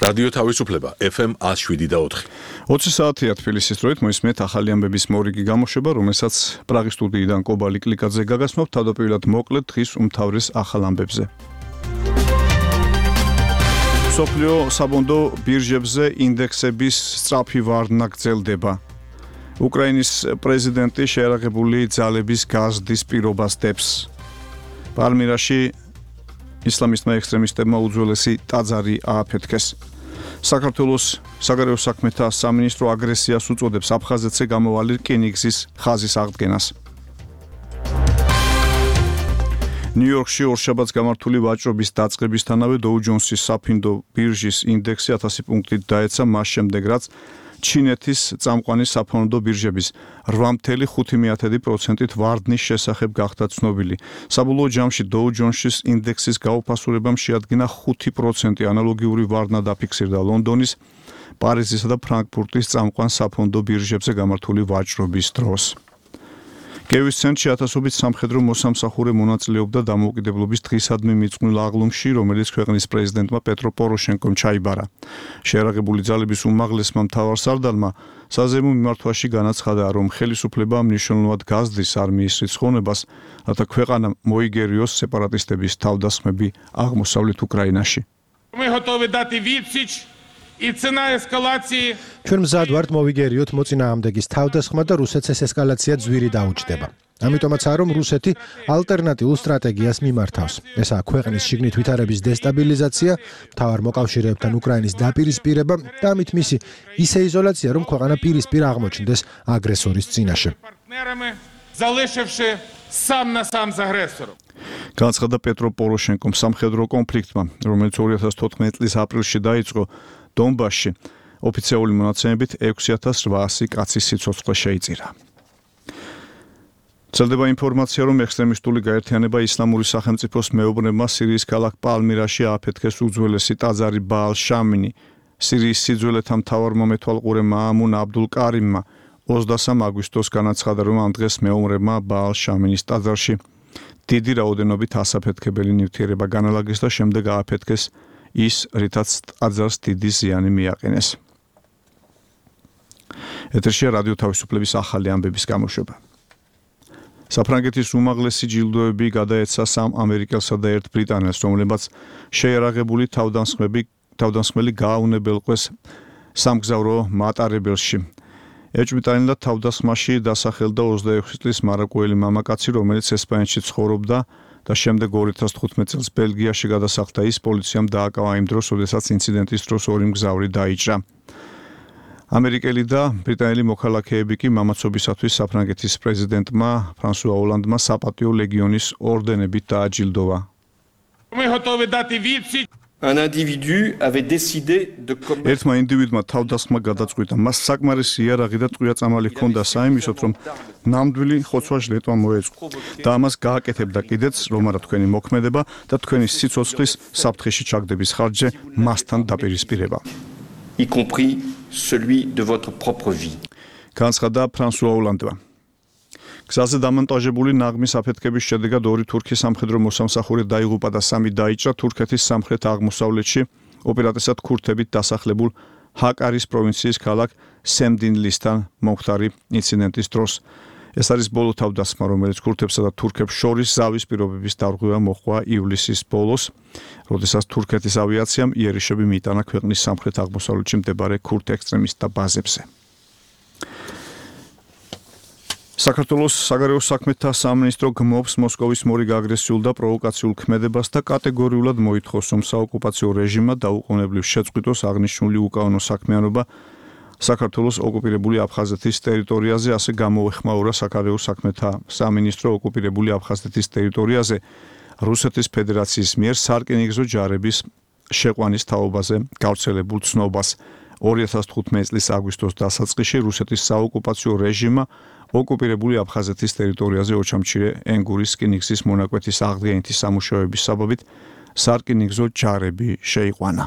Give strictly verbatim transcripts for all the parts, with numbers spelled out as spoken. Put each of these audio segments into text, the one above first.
რადიო თავისუფლება ეფ ემ one oh seven და four. ოცი საათია თბილისის დროით მოისმენთ ახალი ამბების მორიგი გამოშვება, რომელსაც პრაღის სტუდიიდან კობა ლიკლიკაძე გაგასმობთ თავდაპირველად მოკლედ დღის უმთავრეს ახალ ამბებზე. მსოფლიო საბონდო ბირჟებზე ინდექსების სწრაფი ვარდნა გრძელდება. უკრაინის პრეზიდენტი შეერაღებული ძალების გაზრდის პირობას დებს. პალმირაში ისლამისტმა ექსტრემისტებმა უძველესი ტაძარი ააფეთქეს. საქართველოს საგარეო საქმეთა სამინისტრო აგრესიას უწოდებს აფხაზეთზე გამოვალი რკინიგზის ხაზის აღდგენას. ნიუ-იორკში ორშაბათს გამართული ვაჭრობის დაწყებისთანავე დოუ ჯონსის საფინდო ბირჟის ინდექსი ათასი პუნქტით დაეცა მას შემდეგ, რაც ჩინეთის წამყვანი საფონდო ბირჟების რვა ფاصლე ხუთი პროცენტით ვარდნის შესახებ გახდა ცნობილი. საბოლოო ჯამში დოუ ჯონსის ინდექსის გაუფასურებამ შეადგინა ხუთი პროცენტი, ანალოგიური ვარდნა დაფიქსირდა ლონდონის, პარიზისა და ფრანკფურტის წამყვან საფონდო ბირჟებზე გამართული ვაჭრობის დროს. გევის ცენტრში ათასობით სამხედრო მოსამსახურე მონაწილეობდა დამოუკიდებლობის დღისადმი მიძღვნილ აღლუმში, რომელიც ქვეყნის პრეზიდენტმა პეტრო პოროშენკომ ჩაიბარა. შეერაღებული ძალების უმაღლესმა მთავარსარდალმა საზეიმო მიმართვაში განაცხადა, რომ ხელისუფლება მნიშვნელოვნად გაზრდის არმიის რიცხოვნებას, რათა ქვეყანა მოიგერიოს სეპარატისტების თავდასხმები აღმოსავლეთ უკრაინაში. ჩვენ მზად ვართ მოვიგერიოთ მოწინააღმდეგის თავდასხმა და რუსეთს ეს ესკალაცია ძვირი დაუჯდება. ამიტომაცაა, რომ რუსეთი ალტერნატიულ სტრატეგიას მიმართავს. ესაა ქვეყნის შიგნით ვითარების დესტაბილიზაცია, მთავარ მოკავშირეებთან უკრაინის დაპირისპირება და ამით მისი ისე იზოლაცია, რომ ქვეყანა პირისპირ აღმოჩნდეს აგრესორის წინაშე. განაცხადა პეტრო პოროშენკომ სამხედრო კონფლიქტმა, რომელიც ორი ათას თოთხმეტი წლის აპრილში დაიწყო დონბასში, ოფიციალური მონაცემებით ექვსი ათას რვაასი კაცის სიცოცხლე შეიწირა. ვრცელდება ინფორმაცია, რომ ექსტრემისტული გაერთიანება ისლამური სახელმწიფოს მეუღლეებმა სირიის ქალაქ პალმირაში ააფეთქეს უძველესი ტაძარი ბაალ შამინი. სირიის სიძველეთა მთავარმომეთვალყურე მაამუნ აბდულ კარიმმა ოცდასამ აგვისტოს განაცხადა, რომ ამ დღეს მეუღლეებმა ბაალ შამინის ტაძარში დიდი რაოდენობით ასაფეთქებელი ნივთიერება განალაგეს და შემდეგ ააფეთქეს ის, რითაც ტაძარს დიდი ზიანი მიაყენეს. ეთერშია რადიო თავისუფლების ახალი ამბების გამოშვება. საფრანგეთის უმაღლესი ჯილდოები გადაეცა სამ ამერიკელსა და ერთ ბრიტანელს, რომლებმაც შეიარაღებული თავდამსხმები თავდამსხმელი გააუნებელყვეს სამგზავრო მატარებელში. ეჭვმიტანილად თავდასხმაში დასახელდა ოცდაექვსი წლის მაროკოელი მამაკაცი, რომელიც ესპანეთში ცხოვრობდა და შემდეგ ორი ათას თხუთმეტი წელს ბელგიაში გადასახლდა. ის პოლიციამ დააკავა იმ დროს, როდესაც ინციდენტის დროს ორი მგზავრი დაიჭრა. ამერიკელი და ბრიტანელი მოქალაქეები კი მამაცობისათვის საფრანგეთის პრეზიდენტმა ფრანსუა ოლანდმა საპატიო ლეგიონის ორდენებით დააჯილდოვა. Un individu avait décidé de commettre ერთმა ინდივიდმა თავდასხმა გადაწყვიტა. მას საკმარისი იარაღი და ტყვია წამალი ჰქონდა საიმისოდ, რომ ნამდვილი ხოცვა ჟლეტვა მოეწყო და ამას გააკეთებდა კიდეც, რომ არა თქვენი მოქმედება და თქვენი სიცოცხლის საფრთხეში ჩაგდების ხარჯზე მასთან დაპირისპირება. y compris celui de votre propre vie. განაცხადა ფრანსუა ოლანდმა. გზაზე დამონტაჟებული ნაღმის აფეთქების შედეგად ორი თურქი სამხედრო მოსამსახურე დაიღუპა და სამი დაიჭრა თურქეთის სამხრეთ აღმოსავლეთში, ოპერატესად ქურთებით დასახლებულ ჰაკარის პროვინციის ქალაქ სემდინლისთან მომხდარი ინციდენტის დროს. ეს არის ბოლო თავდასხმა, რომელიც ქურთებსა და თურქებს შორის ზავის პირობების დარღვევა მოჰყვა ივლისის ბოლოს, როდესაც თურქეთის ავიაციამ იერიშები მიიტანა ქვეყნის სამხრეთ აღმოსავლეთში მდებარე ქურთ ექსტრემისტთა ბაზებზე. საქართველოს საგარეო საქმეთა სამინისტრო გმობს მოსკოვის მორიგ აგრესიულ და პროვოკაციულ ქმედებას და კატეგორიულად მოითხოვს, რომ საოკუპაციო რეჟიმმა დაუყოვნებლივ შეწყვიტოს აღნიშნული უკანონო საქმიანობა საქართველოს ოკუპირებული აფხაზეთის ტერიტორიაზე, ასე გამოეხმაურა საგარეო საქმეთა სამინისტრო ოკუპირებული აფხაზეთის ტერიტორიაზე რუსეთის ფედერაციის მიერ სარკინიგზო ჯარების შეყვანის თაობაზე გავრცელებულ ცნობას. ორი ათას თხუთმეტი წლის აგვისტოს დასაწყისში რუსეთის საოკუპაციო რეჟიმმა ოკუპირებული აფხაზეთის ტერიტორიაზე ოჩამჩირე ენგურის რკინიგზის მონაკვეთის აღდგენითი სამუშაოების საბაბით სარკინიგზო ჯარები შეიყვანა.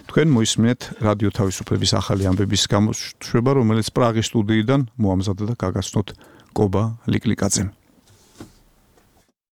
თქვენ მოისმინეთ რადიო თავისუფლების ახალი ამბების გამოშვება, რომელიც პრაღის სტუდიიდან მოამზადდა და გაგაცნოთ კობა ლიკლიკაძემ.